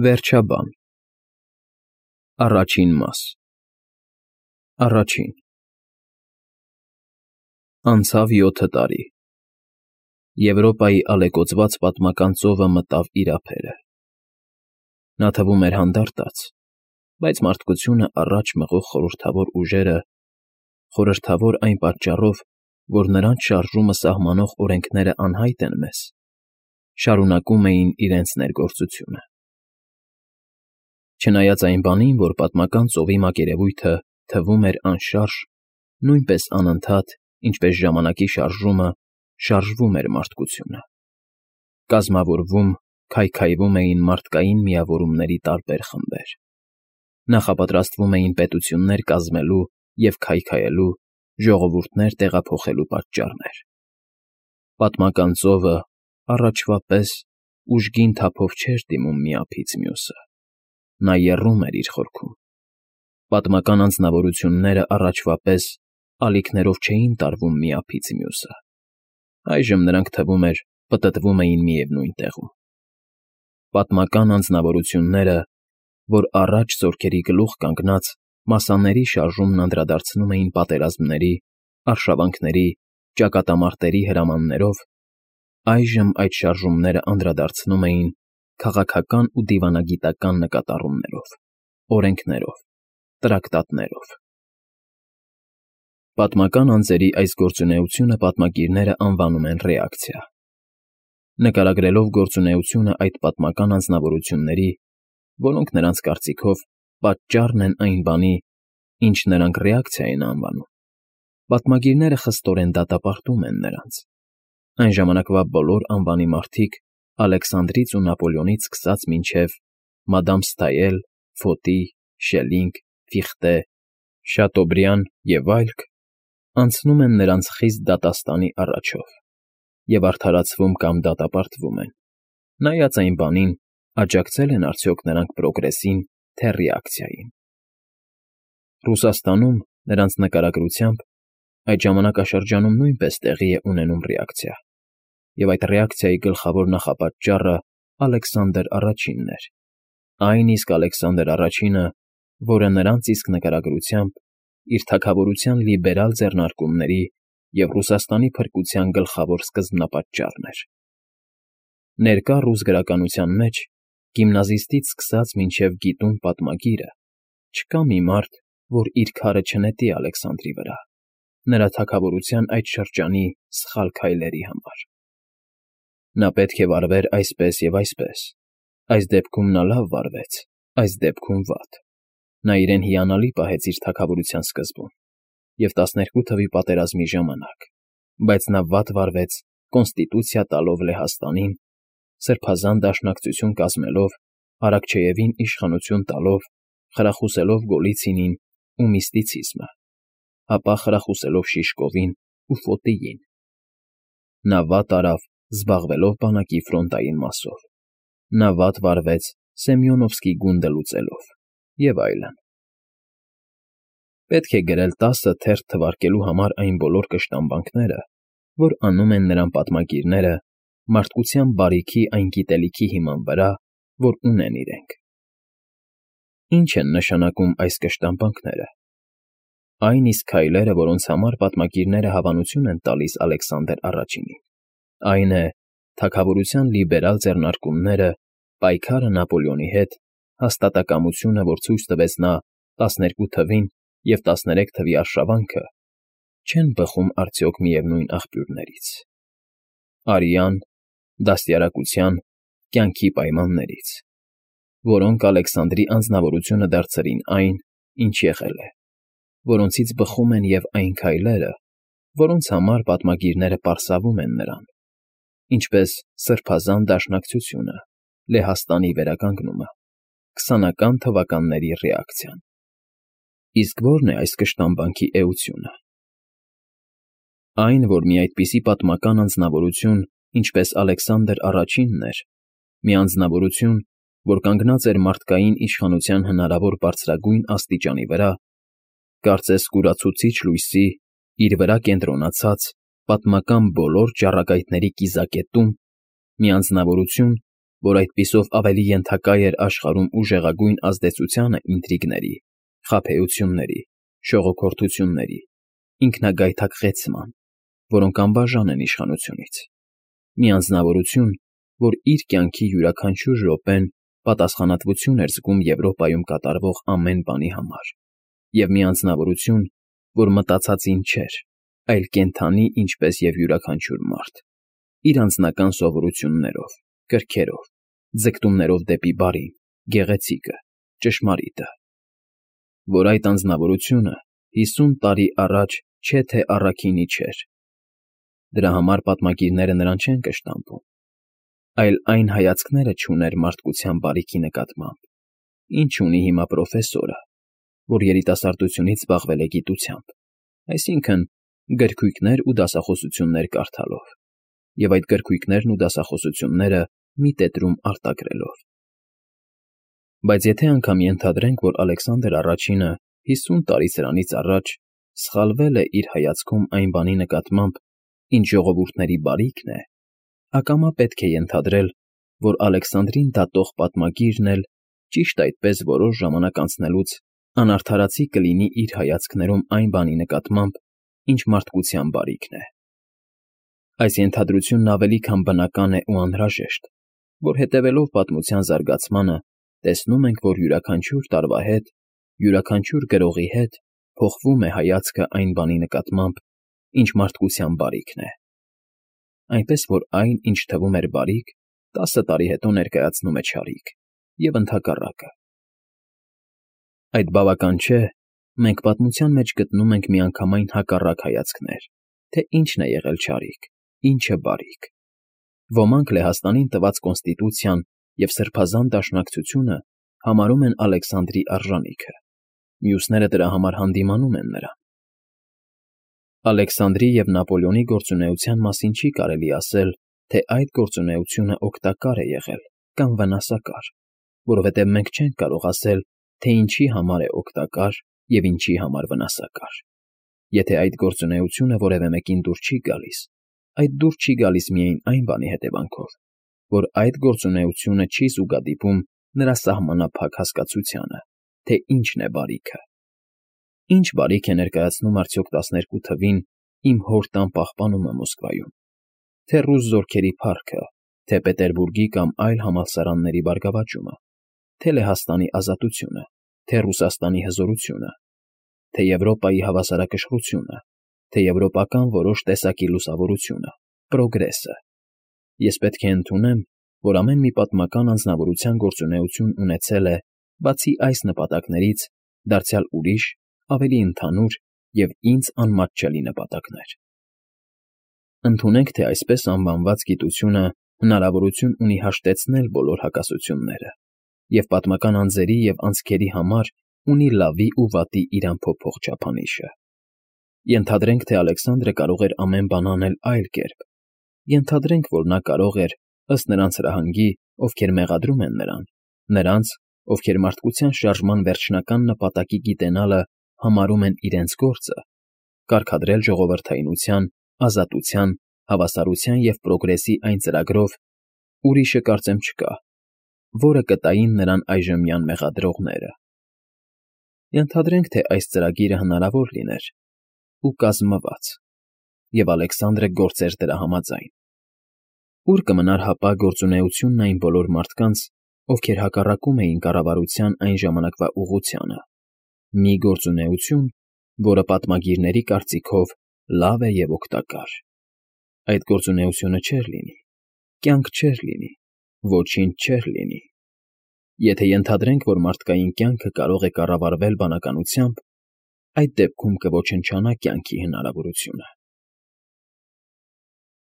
Վերջաբան Առաջին մաս Առաջին Անցավ 7 տարի։ Եվրոպայի ալեկոծված պատմական ծովը մտավ իր ափերը։ Նա թվում էր հանդարտած, բայց մարդկությունը առաջ մղող խորհրդավոր ուժերը, խորհրդավոր այն պատճառով, որ նրանց շարժումը սահմանող օրենքները անհայտ են մեզ, շարունակում էին իրենց ներգործությունը։ Չնայած այն բանին, որ պատմական ծովի մակերևույթը թվում էր անշարժ, նույնպես անընդհատ, ինչպես ժամանակի շարժումը, շարժվում էր մարդկությունը։ Կազմավորվում, քայքայվում էին մարդկային միավորումների տարբեր խմբեր։ Նախապատրաստվում էին պետություններ կազմելու և քայքայելու, ժողովուրդներ տեղափոխելու պատճառներ։ Պատմական ծովը, առաջվա պես, ուժգին թափով չէր դիմում մի ափից մյուսը։ Նա եռում էր իր խորքում։ Պատմական անձնավորությունները առաջվա պես ալիքներով չէին տարվում մի ափից մյուսը։ Այժմ նրանք, թվում էր, պտտվում էին միևնույն տեղում։ Պատմական անձնավորությունները, որ առաջ զորքերի գլուխ կանգնած մասաների շարժումն անդրադարձնում էին պատերազմների, արշավանքների, ճակատամարտերի հրամաններով, այժմ այդ շարժումները անդրադարձնում էին քաղաքական ու դիվանագիտական նկատառումներով, օրենքներով, տրակտատներով։ Պատմական անձերի այս գործունեությունը պատմագիրները անվանում են ռեակցիա։ Նկարագրելով գործունեությունը այդ պատմական անձնավորությունների, որոնք նրանց կարծիքով պատճառն են այն բանի, ինչ նրանք ռեակցիա են անվանում, պատմագիրները խստորեն դատապարտում են նրանց։ Այն ժամանակվա բոլոր անվանի մարդիկ, Ալեքսանդրից ու Նապոլեոնից սկսած մինչև Մադամ Սթայել, Ֆոտի, Շելլինգ, Ֆիխտե, Շատոբրիան և այլք, անցնում են նրանց խիստ դատաստանի առաջով և արդարացվում կամ դատապարտվում են, նայած այն բանին, աջակցել են արդյոք նրանք պրոգրեսին, թե ռեակցիային։ Ռուսաստանում, նրանց նկարագրությամբ, այդ ժամանակաշրջանում նույնպես տեղի է ունենում ռեակցիա, և այդ ռեակցիայի գլխավոր նախապատճառը Ալեքսանդր Առաջինն էր, այն իսկ Ալեքսանդր Առաջինը, որը նրանց իսկ նկարագրությամբ իր թագավորության լիբերալ ձեռնարկումների և Ռուսաստանի փրկության գլխավոր սկզբնապատճառն էր։ Ներկա ռուս գրականության մեջ, գիմնազիստից սկսած մինչև գիտուն պատմագիրը, չկա մի մարդ, որ իր քարը չնետի Ալեքսանդրի վրա, նրա թագավորության այդ շրջանի սխալ քայլերի համար։ Նա պետք է վարվեր այսպես և այսպես, այս դեպքում նա լավ վարվեց, այս դեպքում վատ։ Նա իրեն հիանալի պահեց իր թագավորության սկզբում և 12 թվի պատերազմի ժամանակ, բայց նա վատ վարվեց կոնստիտուցիա տալով Լեհաստանին, սրբազան դաշնակցություն կազմելով, Արաքչեևին իշխանություն տալով, խրախուսելով Գոլիցինին ու միստիցիզմը, ապա խրախուսելով Շիշկովին ու Ֆոտիին։ Նա վատ արավ զբաղվելով բանակի ֆրոնտային մասով։ Նա վատ վարվեց Սեմյոնովսկի գունդը լուծելով և այլն։ Պետք է գրել 10 թերթ թվարկելու համար այն բոլոր կշտամբանքները, որ անում են նրան պատմագիրները մարդկության բարիքի այն գիտելիքի հիման վրա, որ ունեն իրենք։ Ինչ են նշանակում այս կշտամբանքները։ Այն իսկ քայլերը, որոնց համար պատմագիրները հավանություն են տալիս Ալեքսանդր Առաջինին, այն է, թագավորության լիբերալ ձեռնարկումները, պայքարը Նապոլեոնի հետ, հաստատակամությունը, որ ցույց տվեց նա 12 թվին և 13 թվի արշավանքը, չեն բխում արդյոք միևնույն աղբյուրներից՝ արյան, դաստիարակության, կյանքի պայմաններից, որոնք Ալեքսանդրի անձնավորությունը դարձրին այն, ինչ եղել է, որոնցից բխում են և այն քայլերը, որոնց համար պատմագիրները պարսավում են նրան, ինչպես Սրբազան դաշնակցությունը, Լեհաստանի վերականգնումը, 20-ական թվականների ռեակցիան։ Իսկ ո՞րն է այս կշտամբանքի էությունը։ Այն, որ մի այդպիսի պատմական անձնավորություն, ինչպես Ալեքսանդր Առաջինն էր, մի անձնավորություն, որ կանգնած էր մարդկային իշխանության հնարավոր բարձրագույն աստիճանի վրա, կարծես կուրացուցիչ լույսի, իր վրա կենտրոնացած, պատմական բոլոր ճառագայթների կիզակետում, մի անձնավորություն, որ այդպիսով ավելի ենթակա էր աշխարհում ուժեղագույն ազդեցությանը ինտրիգների, խաբեությունների, շողոքորթությունների, ինքնագայթակղեցման, որոնք անբաժան են իշխանությունից, մի անձնավորություն, որ իր կյանքի յուրաքանչյուր րոպեն պատասխանատվություն էր զգում Եվրոպայում կատարվող ամեն բանի համար, և մի անձնավորություն, որ մտածածին չէր, այլ կենդանի, ինչպես և յուրաքանչյուր մարդ, իր անձնական սովորություններով, կրքերով, ձգտումներով դեպի բարին, գեղեցիկը, ճշմարիտը, որ այդ անձնավորությունը 50 տարի առաջ չէ թե առաքինի չէր. դրա համար պատմագիրները նրան չեն կշտամբում, այլ այն հայացքները չուներ մարդկության բարիքի նկատմամբ, ինչ ունի հիմա պրոֆեսորը, որ երիտասարդությունից զբաղվել է գիտությամբ, այսինքն գրքույկներ ու դասախոսություններ կարդալով, և այդ գրքույկներն ու դասախոսությունները մի տետրում արտագրելով։ Բայց եթե անգամ ենթադրենք, որ Ալեքսանդր առաջինը 50 տարի սրանից առաջ սխալվել է իր հայացքում այն բանի նկատմամբ, ինչ ժողովուրդների բարիքն է, ակամա պետք է ենթադրել, որ Ալեքսանդրին դատող պատմագիրն էլ ճիշտ այդպես որոշ ժամանակ անցնելուց անարդարացի կլինի իր հայացքներում այն բանի նկատմամբ, ինչ մարդկության բարիքն է։ Այս ենթադրությունն ավելի քան բնական է ու անհրաժեշտ, որ հետևելով պատմության զարգացմանը տեսնում ենք, որ յուրաքանչյուր տարվա հետ, յուրաքանչյուր գրողի հետ փոխվում է հայացքը այն բանի նկատմամբ, ինչ մարդկության բարիքն է, այնպես որ այն, ինչ թվում էր բարիք, 10 տարի հետո ներկայացնում է չարիք, և ընդհակառակը։ Այդ բավական չէ, մենք պատմության մեջ գտնում ենք միանգամայն հակառակ հայացքներ, թե ինչն է եղել չարիք, ինչը բարիք։ Ոմանք Լեհաստանին տված կոնստիտուցիան և սրբազան դաշնակցությունը համարում են Ալեքսանդրի արժանիքը, մյուսները դրա համար հանդիմանում են նրան։ Ալեքսանդրի և Նապոլեոնի գործունեության մասին չի կարելի ասել, թե այդ գործունեությունը օգտակար է եղել կամ վնասակար, որովհետև մենք չենք կարող ասել, թե ինչի համար է օգտակար և ինչի համար վնասակար։ Եթե այդ գործունեությունը որևէ մեկին դուր չի գալիս, այդ դուր չի գալիս միայն այն բանի հետևանքով, որ այդ գործունեությունը չի զուգադիպում նրա սահմանափակ հասկացությանը, թե ինչն է բարիքը։ Ինչ բարիք է ներկայացնում արդյոք 12 թվին իմ հոր տան պահպանումը Մոսկվայում, թե ռուս զորքերի փառքը, թե Պետերբուրգի կամ այլ համալսարանների բարգավաճումը, թե Լեհաստանի ազատությունը, թե Ռուսաստանի հզորությունը, թե Եվրոպայի հավասարակշռությունը, թե եվրոպական որոշ տեսակի լուսավորությունը, պրոգրեսը։ Ես պետք է ընդունեմ, որ ամեն մի պատմական անձնավորության գործունեություն ունեցել է, բացի այս նպատակներից, դարձյալ ուրիշ, ավելի ընդհանուր և ինձ անմատչելի նպատակներ։ Ընդունենք, թե այսպես անվանված գիտությունը հնարավորություն ունի հաշտեցնել բոլոր հակասությունները և պատմական անձերի և անցքերի համար ունի լավի ու վատի իրան փոփոխ չափանիշը։ Ենթադրենք, թե Ալեքսանդրը կարող էր ամեն բան անել այլ կերպ։ Ենթադրենք, որ նա կարող էր, ըստ նրանց հրահանգի, ովքեր մեղադրում են նրանց, ովքեր մարդկության շարժման վերջնական նպատակի գիտենալը համարում են իրենց գործը, կարգադրել ժողովրդայնության, ազատության, հավասարության և պրոգրեսի այն ծրագրով, ուրիշը կարծեմ չկա, որը կտային նրան այժմյան մեղադրողները։ Ենթադրենք, թե այս ծրագիրը հնարավոր լիներ ու կազմված, և Ալեքսանդրը գործեր դրա համաձայն։ Ուր կմնար հապա գործունեությունն այն բոլոր մարդկանց, ովքեր հակառակում էին կառավարության այն ժամանակվա ուղղությանը, մի գործունեություն, որը պատմագիրների կարծիքով լավ է և օգտակար։ Այդ գործունեությունը չէր լինի, կյանք չէր լինի, ոչինչ չէր լինի։ Եթե ենթադրենք, որ մարդկային կյանքը կարող է կառավարվել բանականությամբ, այդ դեպքում կոչնչանա կյանքի հնարավորությունը։